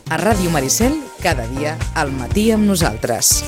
A Ràdio Maricel, cada dia al matí amb nosaltres.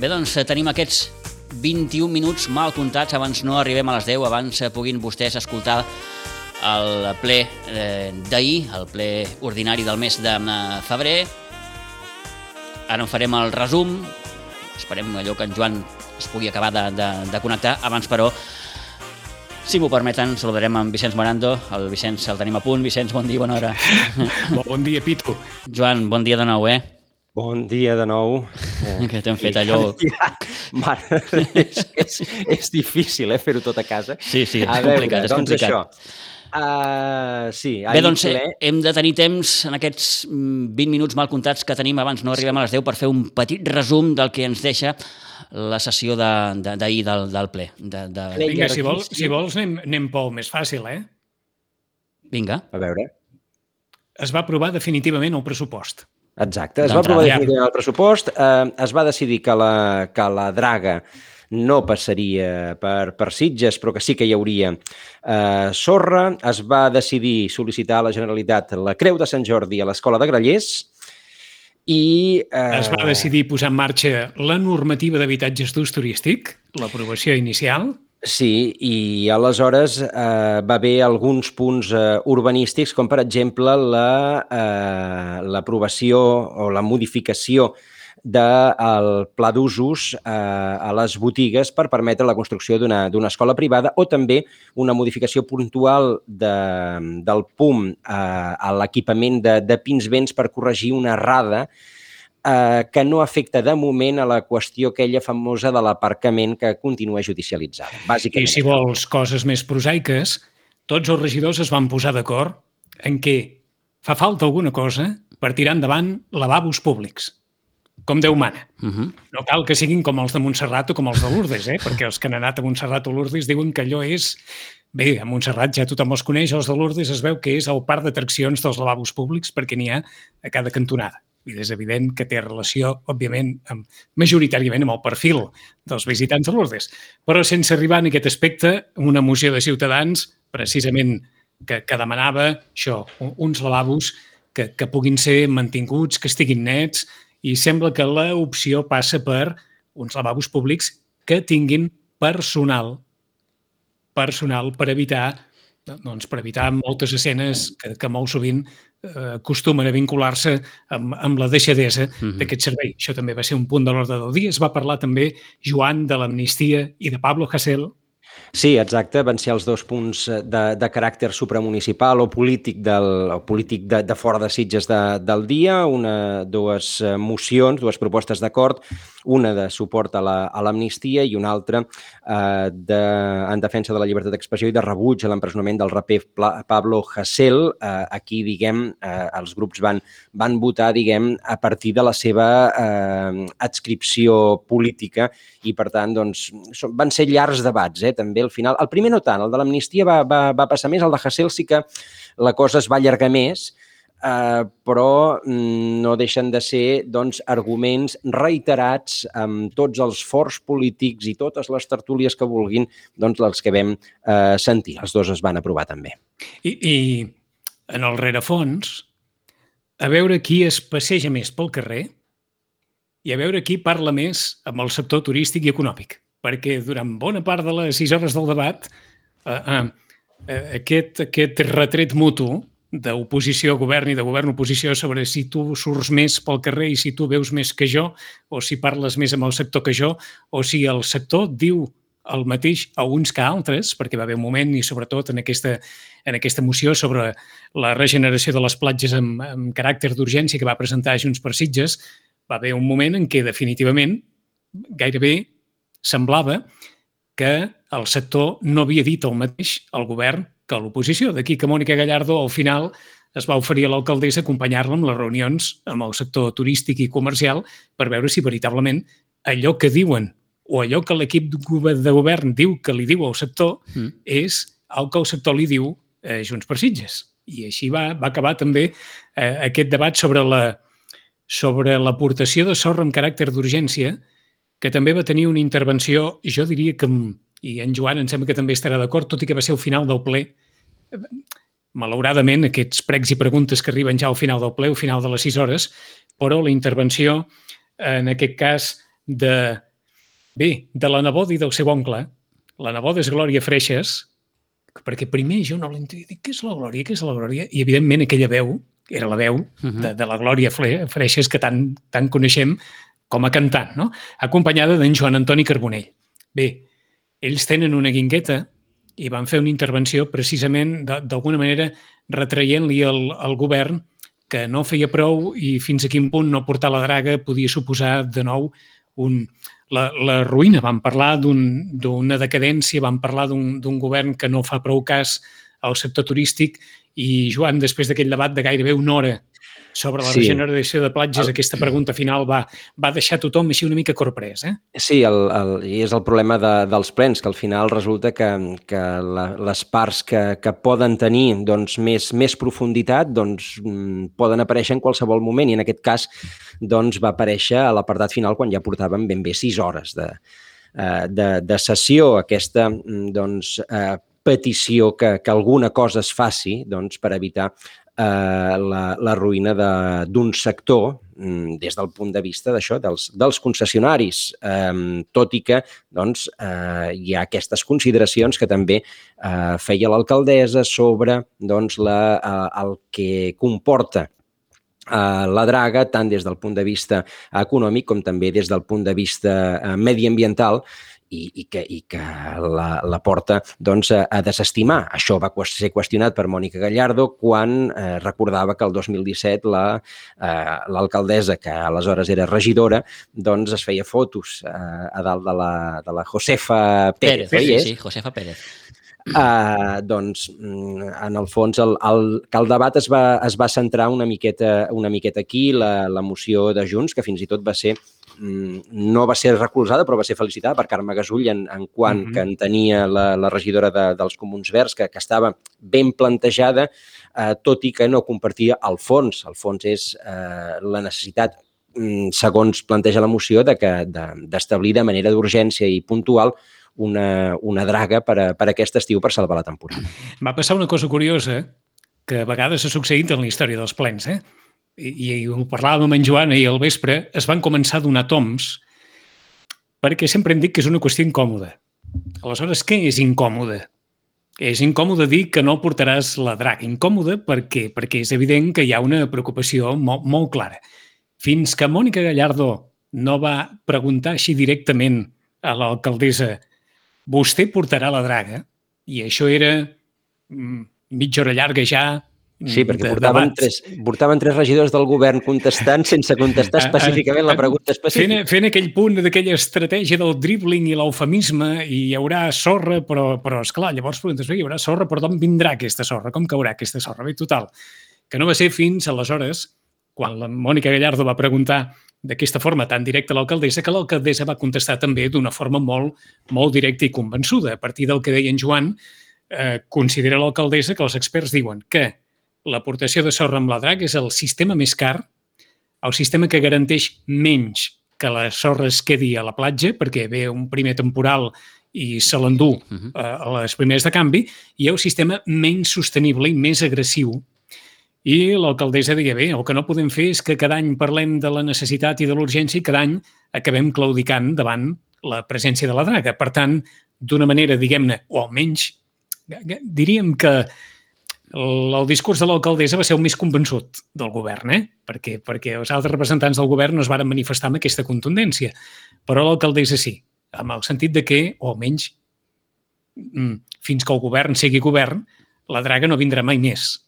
Bé, doncs tenim aquests 21 minuts mal comptats, abans no arribem a les 10, abans puguin vostès escoltar el ple d'ahir, el ple ordinari del mes de febrer. Ara en farem el resum, esperem allò que en Joan es pugui acabar de connectar. Abans, però, si m'ho permeten, saludarem amb Vicenç Morando. El Vicenç el tenim a punt. Vicenç, bon dia, bona hora. Bon dia, Pitu. Joan, bon dia de nou, Bon dia de nou. Que t'hem fet allò... Mare, és difícil, fer-ho tot a casa. Sí, és complicat, és complicat. Sí, bé, doncs hem de tenir temps en aquests 20 minuts mal comptats que tenim abans, no arribem a les 10, per fer un petit resum del que ens deixa la sessió d'ahir del ple. Vinga, si vols anem pel més fàcil, Vinga. A veure. Es va aprovar definitivament el pressupost. Exacte, es va aprovar definitivament el pressupost, es va decidir que la draga no passaria per Sitges, però que sí que hi hauria sorra. Es va decidir sol·licitar a la Generalitat la Creu de Sant Jordi a l'Escola de Grallers i... Es va decidir posar en marxa la normativa d'habitatges d'ús turístic, l'aprovació inicial. Sí, i aleshores va haver alguns punts urbanístics, com per exemple l'aprovació o la modificació del pla d'usos a les botigues per permetre la construcció d'una escola privada, o també una modificació puntual del PUM a l'equipament de Pinsbens per corregir una errada que no afecta de moment a la qüestió aquella famosa de l'aparcament que continua judicialitzada. I si vols coses més prosaiques, tots els regidors es van posar d'acord en què fa falta alguna cosa per tirar endavant lavabos públics, com Déu mana. No cal que siguin com els de Montserrat o com els de Lourdes, perquè els que han anat a Montserrat o Lourdes diuen que allò és... Bé, a Montserrat ja tothom els coneix, els de Lourdes es veu que és el parc d'atraccions dels lavabos públics perquè n'hi ha a cada cantonada. I és evident que té relació, òbviament, majoritàriament amb el perfil dels visitants de Lourdes. Però sense arribar en aquest aspecte, una moció de Ciutadans, precisament, que demanava això, uns lavabos que puguin ser mantinguts, que estiguin nets, i sembla que l'opció passa per uns lavabos públics que tinguin personal per evitar moltes escenes que molt sovint acostumen a vincular-se amb la deixadesa d'aquest servei. Això també va ser un punt de l'ordre del dia. Es va parlar també, Joan, de l'amnistia i de Pablo Hasél. Sí, exacte. Van ser els dos punts de caràcter supramunicipal o polític de fora de Sitges del dia. Dues mocions, dues propostes d'acord, una de suport a l'amnistia i una altra en defensa de la llibertat d'expressió i de rebuig a l'empresonament del raper Pablo Hasél. Aquí, els grups van votar, a partir de la seva adscripció política i, per tant, van ser llargs debats, també al final. El primer no tant, el de l'amnistia va passar més, el de Hasél sí que la cosa es va allargar més, però no deixen de ser arguments reiterats amb tots els forts polítics i totes les tertúlies que vulguin, els que vam sentir. Els dos es van aprovar també. I en el rerefons, a veure qui es passeja més pel carrer i a veure qui parla més amb el sector turístic i econòmic. Perquè durant bona part de les 6 hores del debat aquest retret mutu d'oposició a govern i de govern a oposició sobre si tu surts més pel carrer i si tu veus més que jo, o si parles més amb el sector que jo, o si el sector diu el mateix a uns que a altres, perquè va haver un moment, i sobretot en aquesta moció sobre la regeneració de les platges amb caràcter d'urgència que va presentar Junts per Sitges, va haver un moment en què definitivament gairebé semblava que el sector no havia dit el mateix al govern que a l'oposició. D'aquí que Mònica Gallardo al final es va oferir a l'alcaldessa acompanyar-la amb les reunions amb el sector turístic i comercial per veure si veritablement allò que diuen o allò que l'equip de govern diu que li diu al sector és el que el sector li diu a Junts per Sitges. I així va acabar també aquest debat sobre l'aportació de sorra amb caràcter d'urgència, que també va tenir una intervenció, jo diria que, i en Joan em sembla que també estarà d'acord, tot i que va ser al final del ple. Malauradament, aquests pregs i preguntes que arriben ja al final del ple, al final de les 6 hores, però la intervenció, en aquest cas, de la neboda i del seu oncle. La neboda és Glòria Freixas, perquè primer jo no l'entenia, dic, què és la Glòria, què és la Glòria? I evidentment aquella veu, era la veu de la Glòria Freixas que tant coneixem com a cantant, no? Acompanyada d'en Joan Antoni Carbonell. Bé, ells tenen una guingueta i van fer una intervenció precisament d'alguna manera retraient-li al govern que no feia prou i fins a quin punt no portar la draga podia suposar de nou la ruïna. Vam parlar d'una decadència, vam parlar d'un govern que no fa prou cas al sector turístic i, Joan, després d'aquell debat de gairebé una hora sobre la regeneració de platges, aquesta pregunta final va deixar tothom així una mica corprès. Sí, i és el problema dels plens, que al final resulta que les parts que poden tenir més profunditat poden aparèixer en qualsevol moment, i en aquest cas va aparèixer a l'apartat final quan ja portàvem ben bé 6 hores de sessió, aquesta petició que alguna cosa es faci per evitar la ruïna d'un sector des del punt de vista d'això, dels concessionaris, tot i que hi ha aquestes consideracions que també feia l'alcaldessa sobre el que comporta la draga, tant des del punt de vista econòmic com també des del punt de vista mediambiental, i que la porta a desestimar. Això va ser qüestionat per Mònica Gallardo quan recordava que el 2017 l'alcaldessa, que aleshores era regidora, es feia fotos a dalt de la Josefa Pérez. Sí, Josefa Pérez. En el fons, que el debat es va centrar una miqueta aquí, la moció de Junts, que fins i tot no va ser recolzada, però va ser felicitada per Carme Gasull en quant que en tenia la regidora dels Comuns Verds, que estava ben plantejada, tot i que no compartia el fons. El fons és la necessitat, segons planteja la moció, d'establir de manera d'urgència i puntual una draga per aquest estiu per salvar la temporada. Va passar una cosa curiosa que a vegades ha succeït en la història dels plens, i ho parlàvem amb en Joan ahir al vespre, es van començar a donar toms perquè sempre hem dit que és una qüestió incòmoda. Aleshores, què és incòmode? És incòmode dir que no portaràs la draga. Incòmode perquè és evident que hi ha una preocupació molt clara. Fins que Mònica Gallardo no va preguntar així directament a l'alcaldessa vostè portarà la draga, i això era mitja hora llarga ja. Sí, perquè portaven 3 regidors del govern contestant sense contestar específicament la pregunta específica. Fent aquell punt d'aquella estratègia del dribbling i l'eufemisme, i hi haurà sorra, però esclar, llavors preguntes, hi haurà sorra, però d'on vindrà aquesta sorra? Com caurà aquesta sorra? Bé, total, que no va ser fins aleshores, quan la Mònica Gallardo va preguntar d'aquesta forma tan directa a l'alcaldessa, que l'alcaldessa va contestar també d'una forma molt directa i convençuda. A partir del que deia en Joan, considera l'alcaldessa que els experts diuen que l'aportació de sorra amb la draga és el sistema més car, el sistema que garanteix menys que la sorra es quedi a la platja, perquè ve un primer temporal i se l'endú a les primeres de canvi, i el sistema menys sostenible i més agressiu. I l'alcaldessa deia, bé, el que no podem fer és que cada any parlem de la necessitat i de l'urgència i cada any acabem claudicant davant la presència de la draga. Per tant, d'una manera, diguem-ne, o almenys, diríem que el discurs de l'alcaldessa va ser el més convençut del govern, perquè els altres representants del govern no es varen manifestar amb aquesta contundència, però l'alcaldessa sí, amb el sentit de que, o almenys, fins que el govern sigui govern, la draga no vindrà mai més.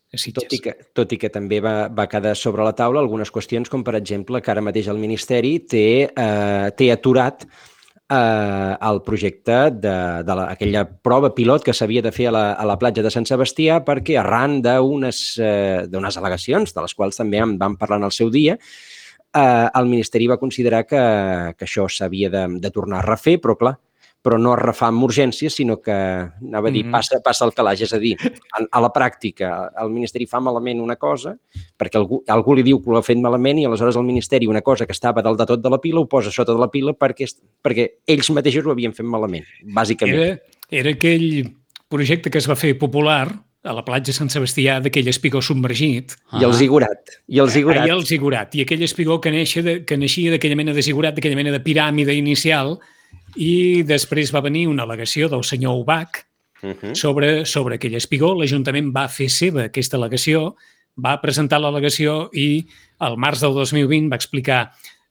Tot i que també va quedar sobre la taula algunes qüestions, com per exemple que ara mateix el Ministeri té aturat el projecte d'aquella prova pilot que s'havia de fer a la platja de Sant Sebastià, perquè arran d'unes al·legacions, de les quals també en vam parlar en el seu dia, el Ministeri va considerar que això s'havia de tornar a refer, però no es refà amb urgència, sinó que, anava a dir, passa el calaix. És a dir, a la pràctica, el Ministeri fa malament una cosa, perquè algú li diu que ho ha fet malament, i aleshores el Ministeri una cosa que estava dalt de tot de la pila ho posa sota de la pila perquè ells mateixos ho havien fet malament, bàsicament. Era aquell projecte que es va fer popular a la platja de Sant Sebastià, d'aquell espigó submergit. I el zigurat. I el zigurat. I aquell espigó que naixia d'aquella mena de zigurat, d'aquella mena de piràmide inicial, i després va venir una al·legació del senyor Ubach sobre aquell espigó. L'Ajuntament va fer seva aquesta al·legació, va presentar l'al·legació i al març del 2020 va explicar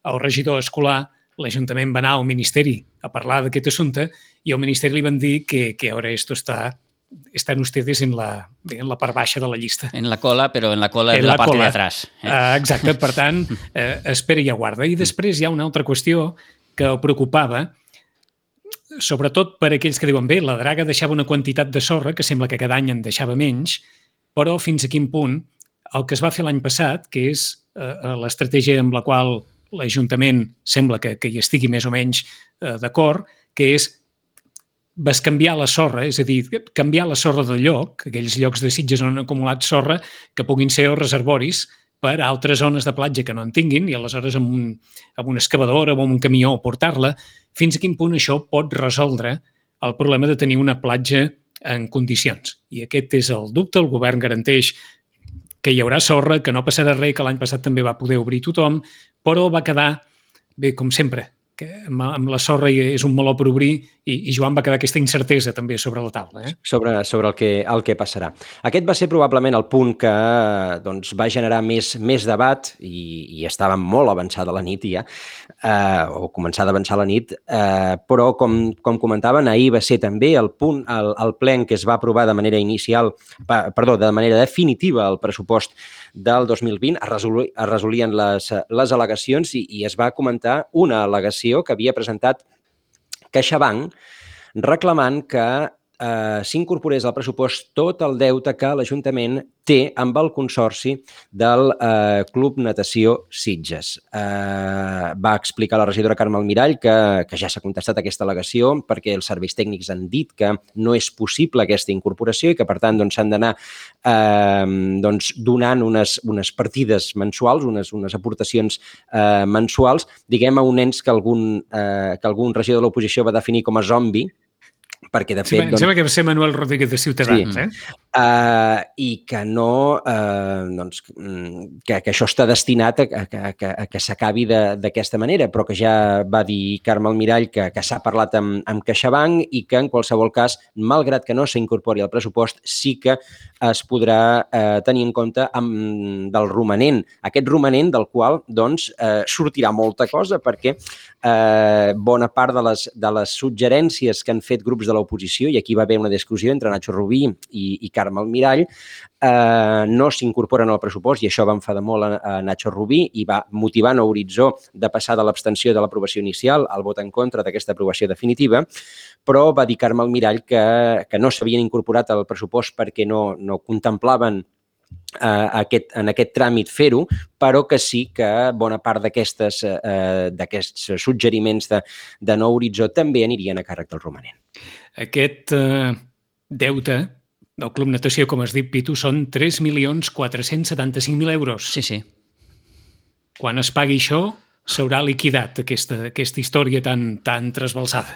al regidor escolar. L'Ajuntament va anar al Ministeri a parlar d'aquest assumpte i al Ministeri li van dir que ahora esto están ustedes en la part baixa de la llista. En la cola, però en la cola de la part de atrás. Exacte, per tant, espera i aguarda. I després hi ha una altra qüestió que el preocupava, sobretot per aquells que diuen, bé, la draga deixava una quantitat de sorra, que sembla que cada any en deixava menys, però fins a quin punt el que es va fer l'any passat, que és l'estratègia amb la qual l'Ajuntament sembla que hi estigui més o menys d'acord, que és bescanviar la sorra, és a dir, canviar la sorra de lloc, aquells llocs de Sitges on han acumulat sorra, que puguin ser els reservoris per a altres zones de platja que no en tinguin, i aleshores amb una excavadora o amb un camió portar-la. Fins a quin punt això pot resoldre el problema de tenir una platja en condicions. I aquest és el dubte. El govern garanteix que hi haurà sorra, que no passarà res, que l'any passat també va poder obrir tothom, però va quedar, bé, com sempre, que amb la sorra és un meló per obrir i Joan va quedar aquesta incertesa també sobre la taula. Sobre el que passarà. Aquest va ser probablement el punt que va generar més debat i estava molt avançada la nit ja, o començada a avançar la nit, però com comentaven, ahir va ser també el punt, el ple en què es va aprovar de manera definitiva el pressupost del 2020, es resolien les al·legacions i es va comentar una al·legació que havia presentat CaixaBank reclamant que s'incorporés al pressupost tot el deute que l'Ajuntament té amb el consorci del Club Natació Sitges. Va explicar la regidora Carme Almirall que ja s'ha contestat aquesta al·legació perquè els serveis tècnics han dit que no és possible aquesta incorporació i que, per tant, s'han d'anar donant unes partides mensuals, unes aportacions mensuals, diguem, a un ens que algun regidor de l'oposició va definir com a zombi, perquè de fet... Em sembla que va ser Manuel Rodríguez de Ciutadans, i que no... que això està destinat a que s'acabi d'aquesta manera, però que ja va dir Carme Almirall que s'ha parlat amb CaixaBank i que en qualsevol cas, malgrat que no s'incorpori al pressupost, sí que es podrà tenir en compte del romanent. Aquest romanent del qual sortirà molta cosa perquè bona part de les suggerències que han fet grups de l'oposició, i aquí va haver una discussió entre Nacho Rubí i Carme Almirall, no s'incorporen al pressupost, i això va enfadar molt a Nacho Rubí i va motivar Nou Horitzó de passar de l'abstenció de l'aprovació inicial al vot en contra d'aquesta aprovació definitiva, però va dir Carme Almirall que no s'havien incorporat al pressupost perquè no contemplaven en aquest tràmit fer-ho, però que sí que bona part d'aquests suggeriments de Nou Horitzó també anirien a càrrec del romanent. Aquest deute del Club Natació, com has dit, Pitu, són 3.475.000 euros. Sí. Quan es pagui això, s'haurà liquidat aquesta història tan trasbalsada.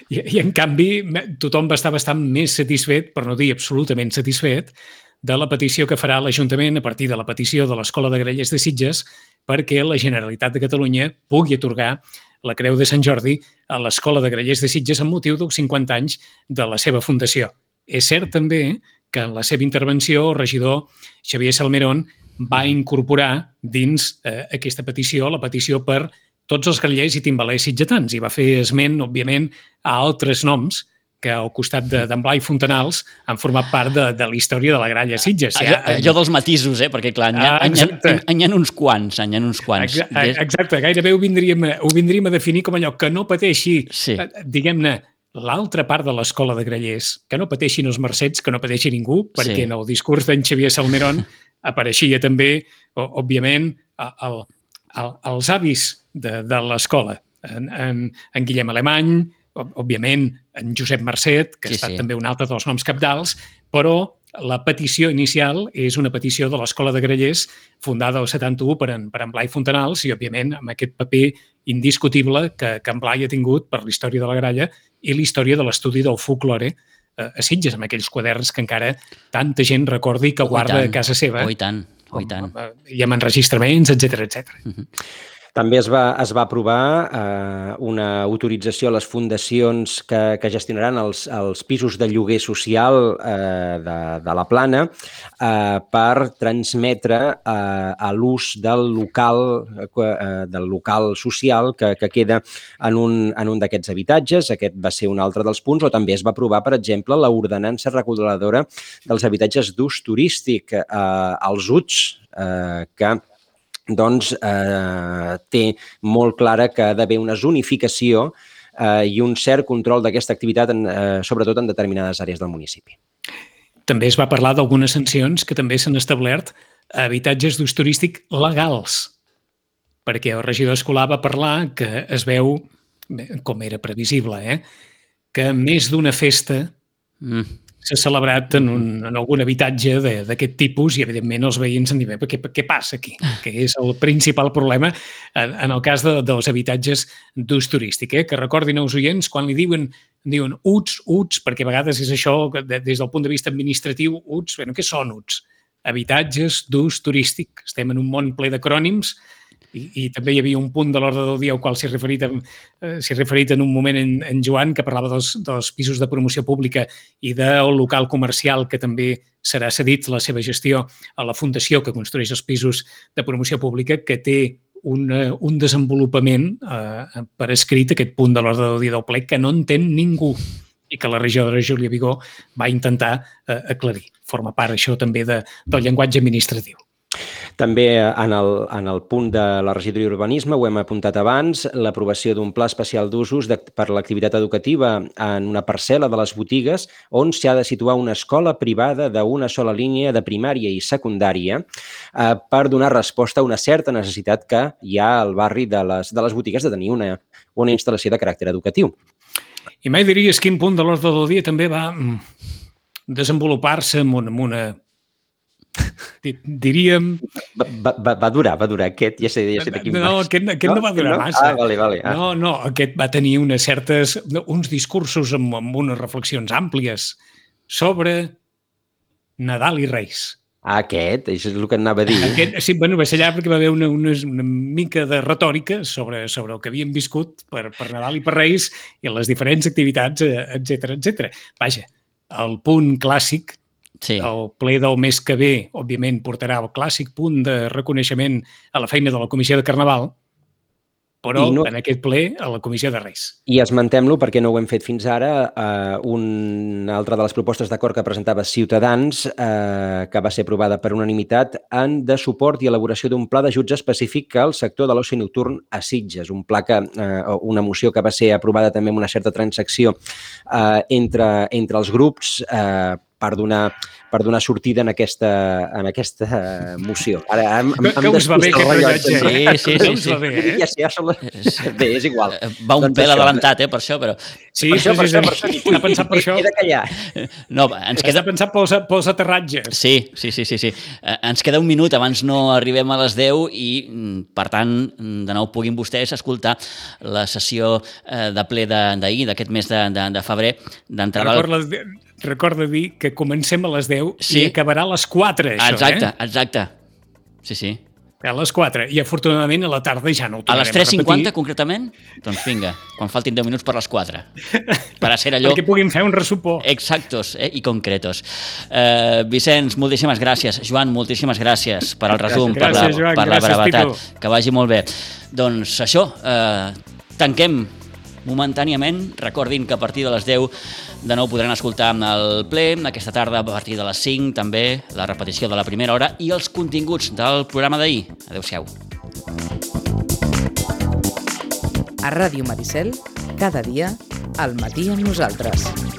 I en canvi, tothom va estar bastant més satisfet, per no dir absolutament satisfet, de la petició que farà l'Ajuntament a partir de la petició de l'Escola de Grallers de Sitges perquè la Generalitat de Catalunya pugui atorgar la Creu de Sant Jordi a l'Escola de Grallers de Sitges amb motiu dels 50 anys de la seva fundació. És cert també que en la seva intervenció el regidor Xavier Salmerón va incorporar dins aquesta petició la petició per tots els grallers i timbalers sitgetans i va fer esment, òbviament, a altres noms que al costat d'en Blai Fontanals han format part de la història de la gralla Sitges. Allò dels matisos, perquè clar, n'hi ha uns quants. Exacte, gairebé ho vindríem a definir com allò que no pateixi, diguem-ne, l'altra part de l'escola de grallers, que no pateixin els mercets, que no pateixi ningú, perquè en el discurs d'en Xavier Salmerón apareixia també, òbviament, els avis de l'escola, en Guillem Alemany, òbviament, en Josep Marcet, que ha estat també un altre dels noms cabdals, però la petició inicial és una petició de l'Escola de Grallers fundada al 71 per en Blai Fontanals i, òbviament, amb aquest paper indiscutible que en Blai ha tingut per la història de la gralla i la història de l'estudi del folklore a Sitges, amb aquells quaderns que encara tanta gent recordi que guarda a casa seva. I tant. I amb enregistraments, etc. També es va aprovar una autorització a les fundacions que gestionaran els pisos de lloguer social de la Plana per transmetre a l'ús del local social que queda en un d'aquests habitatges. Aquest va ser un altre dels punts, o també es va aprovar, per exemple, l'ordenança reguladora dels habitatges d'ús turístic, els UTS, que té molt clara que ha d'haver una zonificació i un cert control d'aquesta activitat, sobretot en determinades àrees del municipi. També es va parlar d'algunes sancions que també s'han establert a habitatges d'ús turístic legals, perquè el regidor escolar va parlar que es veu, com era previsible, que més d'una festa s'ha celebrat en algun habitatge d'aquest tipus i, evidentment, els veïns han dit, què passa aquí? Que és el principal problema en el cas dels habitatges d'ús turístic. Que recordin els oients, quan li diuen UTS, perquè a vegades és això, des del punt de vista administratiu, UTS, què són UTS? Habitatges d'ús turístic. Estem en un món ple d'acrònims i també hi havia un punt de l'ordre del dia al qual s'hi ha referit en un moment en Joan, que parlava dels pisos de promoció pública i del local comercial que també serà cedit la seva gestió a la fundació que construeix els pisos de promoció pública, que té un desenvolupament per escrit, aquest punt de l'ordre del dia del ple, que no entén ningú i que la regidora Júlia Vigó va intentar aclarir. Forma part, això, també del llenguatge administratiu. També en el punt de la regidoria d'urbanisme, ho hem apuntat abans, l'aprovació d'un pla especial d'usos per l'activitat educativa en una parcel·la de les botigues on s'ha de situar una escola privada d'una sola línia de primària i secundària per donar resposta a una certa necessitat que hi ha al barri de les botigues de tenir una instal·lació de caràcter educatiu. I mai diries quin punt de l'ordre del dia també va desenvolupar-se amb una... diríem... Va durar, aquest, ja sé de quin No, aquest no va durar massa. Vale. No, aquest va tenir uns discursos amb unes reflexions àmplies sobre Nadal i Reis. Aquest, això és el que anava a dir. Sí, va ser allà perquè va haver una mica de retòrica sobre el que havíem viscut per Nadal i per Reis i les diferents activitats, etc. Vaja, el punt clàssic, el ple del mes que ve, òbviament, portarà el clàssic punt de reconeixement a la feina de la Comissió de Carnaval, però en aquest ple a la Comissió de Reis. I esmentem-lo perquè no ho hem fet fins ara. Una altra de les propostes d'acord que presentava Ciutadans, que va ser aprovada per unanimitat, de suport i elaboració d'un pla d'ajuts específic al sector de l'oci nocturn a Sitges. Una moció que va ser aprovada també amb una certa transacció entre els grups per donar sortida en aquesta moció. Ara que us va bé aquest rellotge. Sí. Bé, és igual. Va un pèl adelantat, per això, però... Sí, està pensat per això. He de callar. No, està pensat pels aterratges. Sí. Ens queda un minut, abans no arribem a les 10 i, per tant, de nou puguin vostès escoltar la sessió de ple d'ahir, d'aquest mes de febrer, d'entrada... Recorda dir que comencem a les 10 i acabarà a les 4, això, Exacte. Sí. A les 4. I, afortunadament, a la tarda ja no ho tornarem a les 3:50, concretament? Doncs vinga, quan faltin 10 minuts per les 4. Per a ser allò... Perquè puguin fer un ressupó. Exactos i concretos. Vicenç, moltíssimes gràcies. Joan, moltíssimes gràcies per al resum, per la brevetat. Que vagi molt bé. Doncs això, tanquem momentàniament. Recordin que a partir de les 10 de nou podran escoltar el ple, aquesta tarda a partir de les 5 també, la repetició de la primera hora i els continguts del programa d'ahir. Adéu-siau. A Ràdio Maricel, cada dia, al matí amb nosaltres.